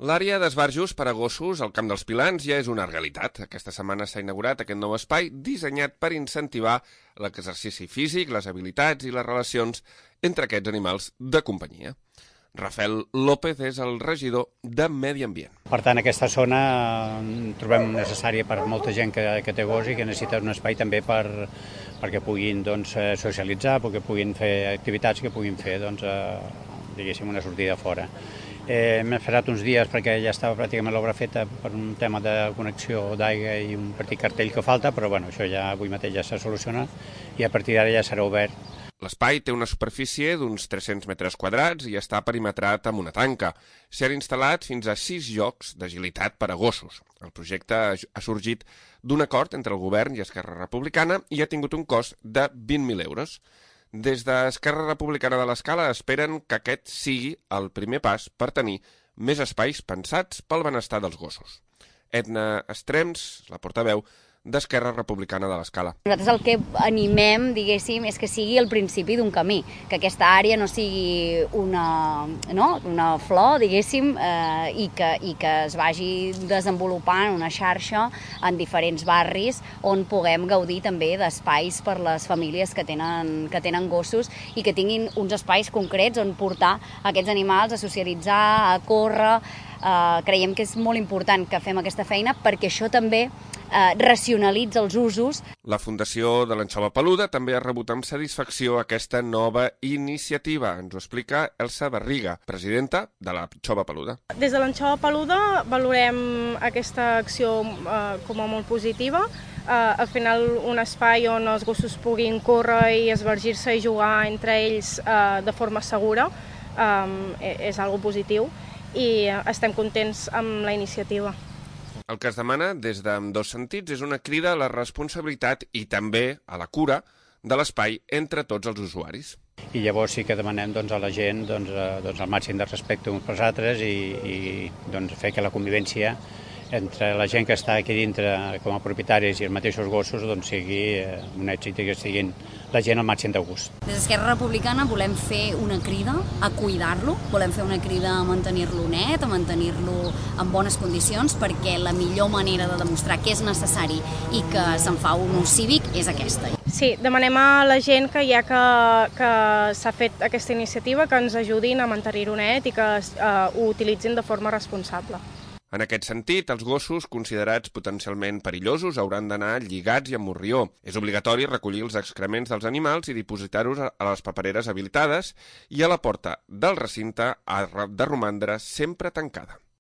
L'àrea d'esbarjos per a gossos al Camp dels Pilans ja és una realitat. Aquesta setmana s'ha inaugurat aquest nou espai dissenyat per incentivar l'exercici físic, les habilitats i les relacions entre aquests animals de companyia. Rafael López és el regidor de Medi Ambient. Per tant, aquesta zona trobem necessària per molta gent que té gos i que necessita un espai també perquè puguin socialitzar, perquè puguin fer activitats, que puguin fer diguéssim, una sortida fora. M'he esperat uns dies perquè ja estava pràcticament l'obra feta per un tema de connexió d'aigua i un petit cartell que falta, però bueno, això ja avui mateix ja s'ha solucionat i a partir d'ara ja serà obert. L'espai té una superfície d'uns 300 metres quadrats i està perimetrat amb una tanca. S'hi han instal·lat fins a 6 llocs d'agilitat per a gossos. El projecte ha sorgit d'un acord entre el govern i Esquerra Republicana i ha tingut un cost de 20.000 euros. Des d'Esquerra Republicana de l'Escala esperen que aquest sigui el primer pas per tenir més espais pensats pel benestar dels gossos. Edna Estrems, la portaveu d'Esquerra Republicana de l'Escala. Nosaltres el que animem, diguéssim, és que sigui el principi d'un camí, que aquesta àrea no sigui una flor, diguéssim, i que es vagi desenvolupant una xarxa en diferents barris on puguem gaudir també d'espais per les famílies que tenen gossos i que tinguin uns espais concrets on portar aquests animals a socialitzar, a córrer. Creiem que és molt important que fem aquesta feina perquè això també racionalitza els usos. La Fundació de l'Anxova Peluda també ha rebut amb satisfacció aquesta nova iniciativa. Ens ho explica Elsa Barriga, presidenta de l'Anxova Peluda. Des de l'Anxova Peluda valorem aquesta acció com a molt positiva. Al final, un espai on els gossos puguin córrer i esbargir-se i jugar entre ells de forma segura és algo positiu i estem contents amb la iniciativa. El que es demana des d'ambdós sentits és una crida a la responsabilitat i també a la cura de l'espai entre tots els usuaris. I llavors sí que demanem a la gent el màxim de respecte uns pels altres i fer que la convivència entre la gent que està aquí dintre com a propietaris i els mateixos gossos sigui un èxit i que estiguin la gent al màxim de gust. Des d'Esquerra Republicana volem fer una crida a cuidar-lo, volem fer una crida a mantenir-lo net, a mantenir-lo en bones condicions, perquè la millor manera de demostrar que és necessari i que se'n fa un ús cívic és aquesta. Sí, demanem a la gent que ja que s'ha fet aquesta iniciativa que ens ajudin a mantenir-ho net i que ho utilitzin de forma responsable. En aquest sentit, els gossos considerats potencialment perillosos hauran d'anar lligats i amb morrió. És obligatori recollir els excrements dels animals i dipositar-los a les papereres habilitades i a la porta del recinte ha de romandre sempre tancada.